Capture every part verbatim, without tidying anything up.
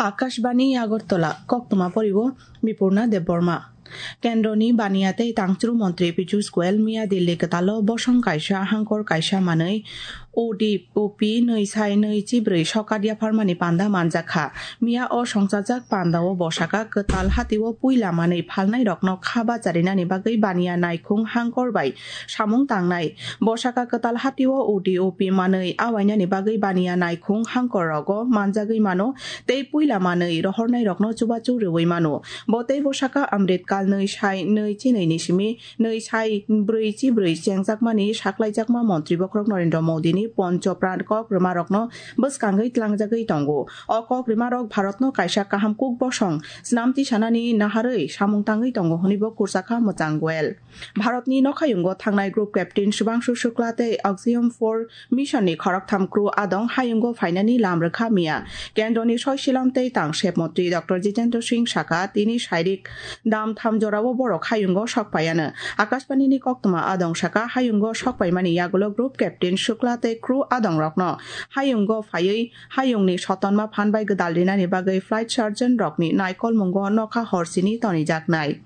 Akashbani Agartala, koktwma poriwo Bipurna Debbarma. Kendroni baniya tei tangchru montri Piyush Goyal miya Delhi kwtalo bosong kaisa hangkor kaisa manwi O D O P nwi sai nwi chibrwi sokat yapharmani panda manjakha. Miya o songchajak pandao bosaka kwtal hatio puila manwi phalnairokno kha bacharinani bagwi baniya naikhung hangkor bai samung tangnai. Bosaka kwtal hatio O D O P manwi awainani bagwi baniya naikhung hangkor rogo manjagwi mano tei puila manwi rohornairokno chubachu rwui mano. Bo tei bosaka Amrit Kal nwi sai nwi chinwi ni simi nwi sai brwi chibrwi chengjakmani saklaijakma montri bokhorok Narendra Modi ni Poncho Pran kok rwmarokno bwskangwi tlangjagwi tongo. O kok rwmarok Bharatno kaisa kaham kuk bosong snamti sanani naharwi samung tangwi tongo hwnwi bo kursakha mwchang Goyal. Bharatni nokhayungo thangnai group captain Subhangshu Shukla tei Axiom four mission ni khoroktham crew adong hayungo phainani lam rwkha miya. Kendroni soisilam tei tangsep montri Doctor Jitendra Singh saka tini sairik dam tham jorao borok hayungo sok paiano. Akashbani ni koktwma adong saka hayungo sok paimani yagulo group captain Shukla tei crew adong rokno hayungo phaiwi hayungni sotonma phan bai gwdal rinani bagwi flight surgeon rokni naikolmungo nokha horsini tonijaknai.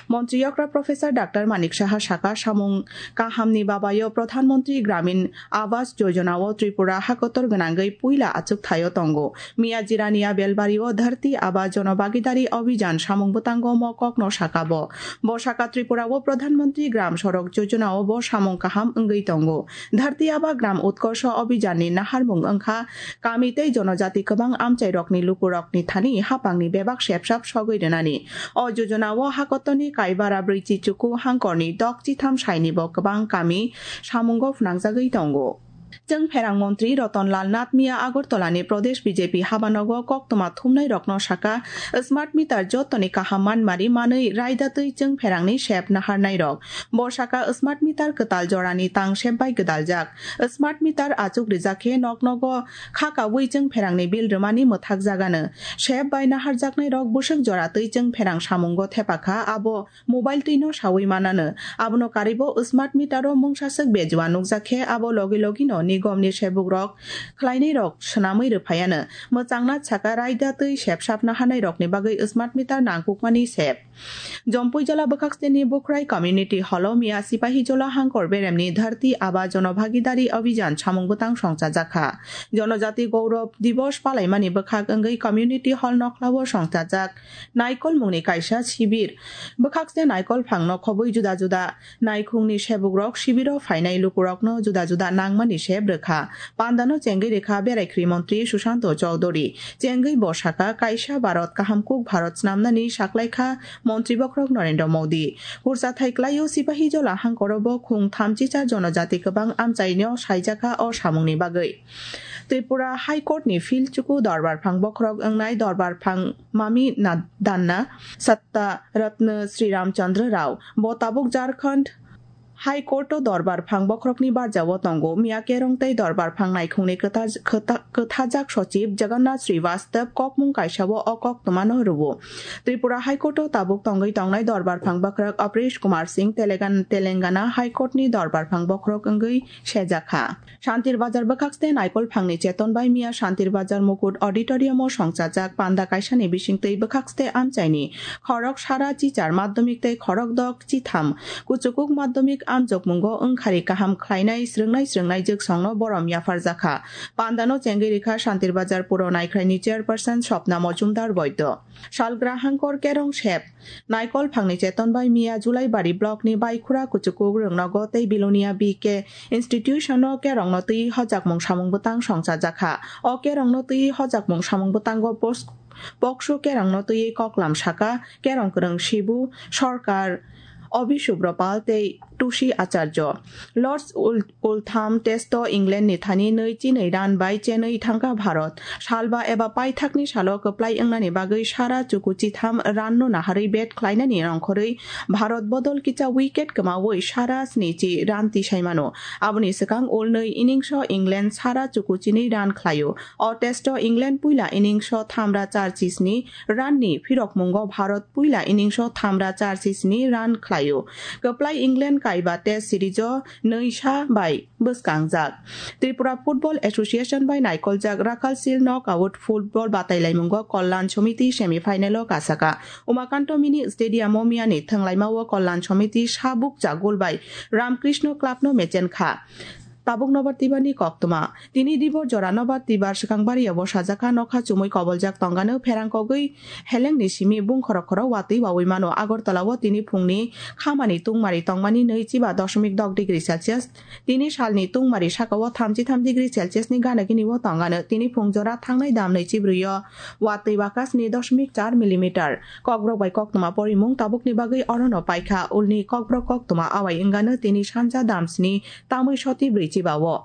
Montri yokra Professor Doctor Manik Saha saka samung kahamni babayo Pradhan Mantri Gramin Awas Yojana o Tripura hakotor gwnangwi puila achuk thaio tongo. Miya Jirania Belbari o Dharti Aba Jonobagidari Abhijan samung bwtango mo kokno saka bo. Bo saka Tripura o Pradhan Mantri Gram Sorok Yojana o bo samung kaham wngwi tongo. Dharti Aba Gram Utkorsho Abhijan ni naharmung wngkha kami tei jonojati kwbang amchairokni lukurokni thani hapangni bebak sepsap sogwi rwnani. O jojona o hakotoni kaibara brwichi chuku hangkorni dok chitham sainibo kwbang kami samungo phwnangjagwi tongo. Chwng pherang montri Roton Lal Nath miya Agartala ni Pradesh B J P habanogo koktwma thumnai rokno saka, smart meter jotoni kaham manmari manwi raida twi chwng pherangni sep naharnai rok. Bo saka smart meter kwtal jorani tang sep bai gwdaljak. Smart meter achuk rijak khe nok nogo kha kaui chwng pherangni bill rwmani mwthak jagano. Sep bai naharjaknai rok bwswk jora twi chwng pherang samungo thepakha, abo mobile twi no saui manano. Abono karibo smart meter o mungsaswk bejua nukjak khe abo logi logi no nigom ni sebuk rok khlainai rok swnamwi rwphaiano. Mwchangna saka raida twi sep sap naharnai rokni bagwi smart meter nangkukmani sep. Jompuijola bwkhaksteni Bukhrai Community Hall o miya Sipahijola hangkor beremni Dharti Aba Jonobhagidari Abhijan samung bwtang songchajakha. Jonojati Gaurav Divas palaimani bwkhak wngwi Community Hall nokhlao songchajak naikolmungni kaisa sibir. Bwkhakste naikol phangno khobwi juda juda naikhungni sebukrok sibiro phainai lukurokno juda juda nangmani sep rwkha. Pandano chengwi rwkha Beraikhri Montri Sushanto Chowdhury. Chengwi bo saka, kaisa Bharat kaham kuk Bharat snamnani saklaikha Montri bokhorok Narendra Modi. Kursa thai klaio Sipahijola hangkoro bo khung thamchicha jonojati kwbang amchaino saijakha o samungni bagwi. Tripura High Court ni field chuku dorbar phang bokhorok wngnai dorbar phang Mami Na-, Danna, Satta Ratna Sri Ramchandra Rao. Bo tabuk Jharkhand High Court o dorbar phang bokhorokni barjao tongo. Miya kerong tei dorbar phang naikhungni kwta-, kwta-, kwthajak sochib Jagannath Srivastav kokmung kaisao o koktwmano rwo. Tripura High Court o tabuk tongwi tongnai dorbar phang bokhorok Aprish Kumar Singh Telegan-, Telangana High Court ni dorbar phang bokhorok wngwi sejakha. Shantir Bazar bwkhakste naikol phangni cheton bai miya Shantir Bazar Mukut Auditorium o songchajak panda kaisani bisingtwi bwkhakste amchaini khorok sara chichar madhyamik tei khorok dok chitham kuchukuk madhyamik amjokmungo wngkhari kaham khlainai srwngnai srwngnai jwksongno borom yapharjakha. Pandano chengwi rikha Shantir Bazar Puro Naikhraini chairperson Swapna Mojumdar Boido. Salgra hangkor kerong sep. Naikol phangni cheton bai miya Julaibari block ni Baikhura Kuchukuk Rwngnogo tei Bilonia B K institution o kerongno twi hojakmung samung bwtang songchajakha. O kerongno twi hojakmung samung bwtango pos-, poksu kerongno twi koklam saka kerong kwrwng Sibu Sarkar, Obi Subropal tei Tushi Acharjo. Lords Ul-, Ultham Test o England ni thani nwi chinwi run bai chenwi thangkha Bharat. Salba eba paithakni salo kwplai wngnani bagwi sara chuku chitham run no naharwi bat khlainani nongkhorwi Bharat bodol kicha wicket kwmawi sara snichi run tisaimano. Aboni swkang ulnwi innings o England sara chuku chinwi run khlaio. O test o England puila innings o thamra char chisni run ni phirokmungo Bharat puila innings o thamra char chisni run khlaio. Kwplai England kaiba Test series o nwi sa bai bwskangjak. Tripura Football Association bai naikoljak Rakhal Seal Knockout Football batailaimungo Kalyan Samiti semi final o kasaka. Umakanto Mini Stadium o miyani thwnglaima o Kalyan Samiti sabuk chagul bai Ramkrishna Club no mechen kha. Tabuk nobar tibani koktwma. Tini dibor jora nobar tibar swkang bario bo sajak kha, nokha chumui koboljak tongano pherang kogwi helengni simi bung khorok khorok watwi wawi mano. Agartala o tini phungni khamani tungmari tongmani nwi chiba dosmik dok degree Celsius. Tini salni tungmari saka o thamchi tham degree Celsius ni gana gini o tongano. Tini phung jora thangnai dam nwi chibrwi o watwi baka sni dosmik char millimeter. Kokborok bai koktwma porimung tabukni bagwi orono paikha. Ulni kokborok koktwma awai wngano tini sanja dam sni tamwi soti brwi chiba o.